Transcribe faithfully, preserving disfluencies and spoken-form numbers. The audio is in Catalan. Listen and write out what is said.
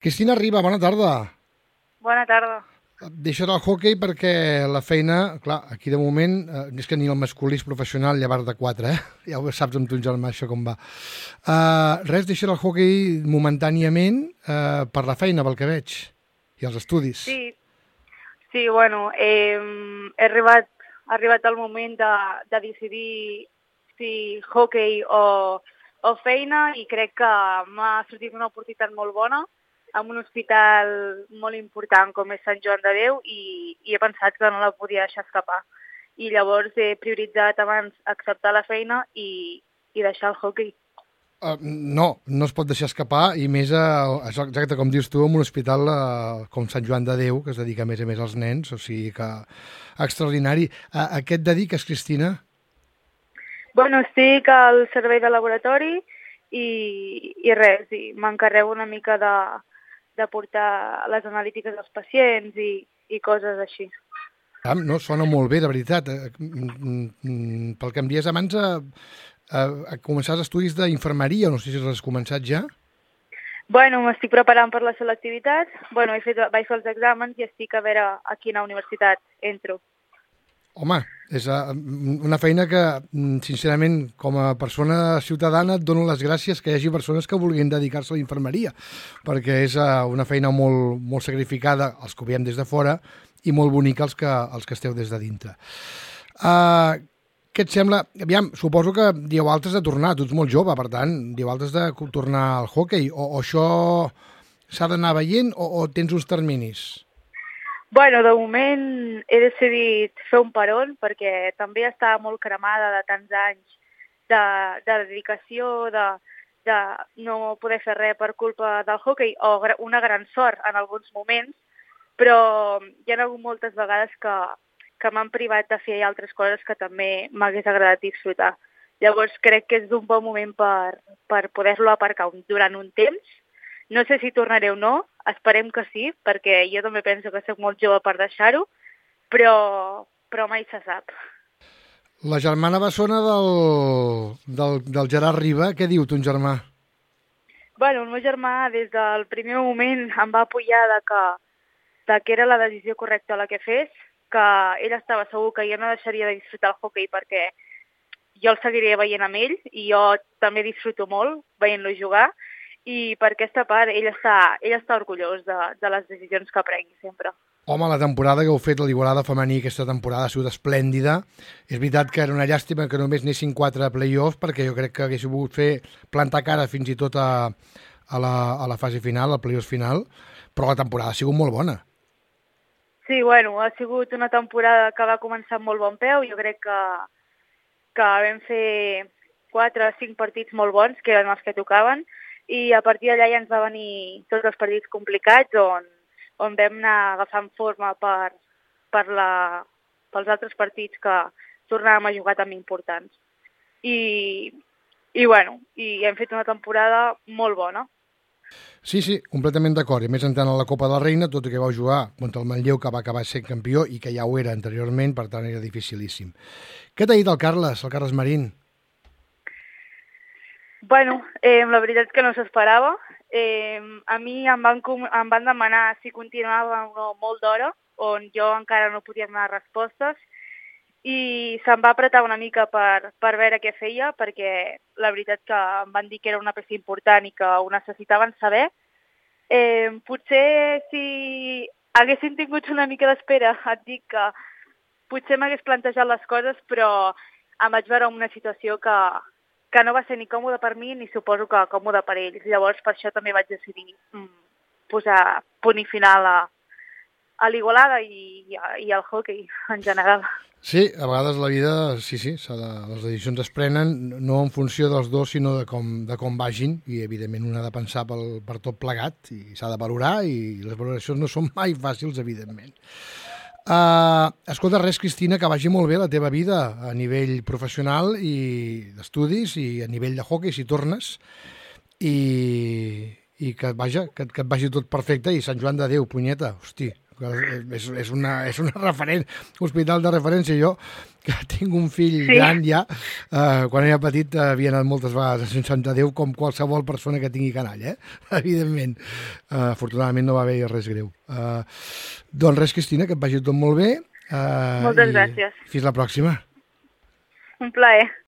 Cristina Riba, bona tarda. Bona tarda. Deixa el hoquei perquè la feina, clar, aquí de moment, eh, és que ni el masculí és professional llevar de quatre, eh? Ja ho saps amb ton germà, això com va. Uh, res, deixa el hoquei momentàniament uh, per la feina, pel que veig, i els estudis. Sí, sí, bueno, eh, he arribat, ha arribat el moment de, de decidir si hockey o, o feina i crec que m'ha sortit una oportunitat molt bona en un hospital molt important com és Sant Joan de Déu i, i he pensat que no la podia deixar escapar. I llavors he prioritzat abans acceptar la feina i, i deixar el hockey. Uh, no, no es pot deixar escapar, i més, a, exacte com dius tu, en un hospital uh, com Sant Joan de Déu, que es dedica a més a més als nens, o sigui que extraordinari. Uh, a què et dediques, Cristina? Bueno, estic al servei de laboratori i, i res, i m'encarrego una mica de, de portar les analítiques dels pacients i, i coses així. Ah, no, sona molt bé, de veritat. Eh, mm, mm, pel que em dies abans, eh, eh, començar estudis d'infermeria, no sé si has començat ja. Bueno, m'estic preparant per la selectivitat, bueno, he fet, vaig fer els exàmens i estic a veure a quina universitat entro. Home, és uh, una feina que, sincerament, com a persona ciutadana, et dono les gràcies que hi hagi persones que vulguin dedicar-se a la infermeria, perquè és uh, una feina molt, molt sacrificada, els que ho veiem des de fora, i molt bonica els que, els que esteu des de dintre. Uh, què et sembla? Aviam, suposo que dieu altres de tornar, tu ets molt jove, per tant, dieu altres de tornar al hoquei, o, o això s'ha d'anar veient, o, o tens uns terminis? Bueno, de moment he decidit fer un peron perquè també estava molt cremada de tants anys de, de dedicació, de, de no poder fer res per culpa del hoquei, o una gran sort en alguns moments, però hi ha hagut moltes vegades que, que m'han privat de fer altres coses que també m'hagués agradat disfrutar. Llavors crec que és un bon moment per, per poder-lo aparcar durant un temps. No sé si tornaré o no, esperem que sí, perquè jo també penso que soc molt jove per deixar-ho, però, però mai se sap. La germana bessona del, del, del Gerard Riba, què diu ton germà? Bueno, el meu germà des del primer moment em va apoyar de que, de que era la decisió correcta la que fes, que ell estava segur que jo no deixaria de disfrutar el hoquei perquè jo el seguiré veient amb ell i jo també disfruto molt veient-lo jugar, i per aquesta part ell està, ell està orgullós de, de les decisions que prengui sempre. Home, la temporada que heu fet, la l'Igualada femení, aquesta temporada ha sigut esplèndida. És veritat que era una llàstima que només anessin quatre play-offs, perquè jo crec que hagués pogut fer plantar cara fins i tot a, a, la, a la fase final, al play-off final, però la temporada ha sigut molt bona. Sí, bueno, ha sigut una temporada que va començar amb molt bon peu. Jo crec que, que vam fer quatre o cinc partits molt bons, que eren els que tocaven, i a partir d'allà ja ens va venir tots els partits complicats on, on vam anar agafant forma per, per la, pels altres partits que tornàvem a jugar també importants. I, i bueno, i hem fet una temporada molt bona. Sí, sí, completament d'acord. I més entrant a la Copa de la Reina, tot i que vau jugar contra el Manlleu, que va acabar sent campió i que ja ho era anteriorment, per tant era dificilíssim. Què t'ha dit el Carles, el Carles Marín? Bueno, eh, la veritat és que no s'esperava. Eh, a mi em van, em van demanar si continuava o no molt d'hora, on jo encara no podia donar respostes, i se'm va apretar una mica per, per veure què feia, perquè la veritat que em van dir que era una peça important i que ho necessitaven saber. Eh, potser si haguessin tingut una mica d'espera, et dic que potser m'hagués plantejat les coses, però em vaig veure en una situació que que no va ser ni còmode per mi ni suposo que còmode per ells. Llavors, per això també vaig decidir mm, posar punt i final a, a l'Igualada i, i, i al hoquei en general. Sí, a vegades la vida, sí, sí, de, les decisions es prenen no en funció dels dos, sinó de com, de com vagin, i evidentment un ha de pensar pel, per tot plegat i s'ha de valorar, i les valoracions no són mai fàcils, evidentment. Uh, escolta, res, Cristina, que vagi molt bé la teva vida a nivell professional i d'estudis i a nivell de hoquei, si tornes, i, i que, vaja, que, que et vagi tot perfecte, i Sant Joan de Déu, punyeta, hosti, és, és, una, és una referent, hospital de referència. Jo, que tinc un fill sí. gran ja, eh, quan era petit eh, havia anat moltes vegades a Sant Sant Déu, com qualsevol persona que tingui canall, eh? Evidentment. Uh, afortunadament no va haver res greu. Uh, doncs res, Cristina, que et vagi tot molt bé. Uh, Moltes gràcies. Fins la pròxima. Un plaer.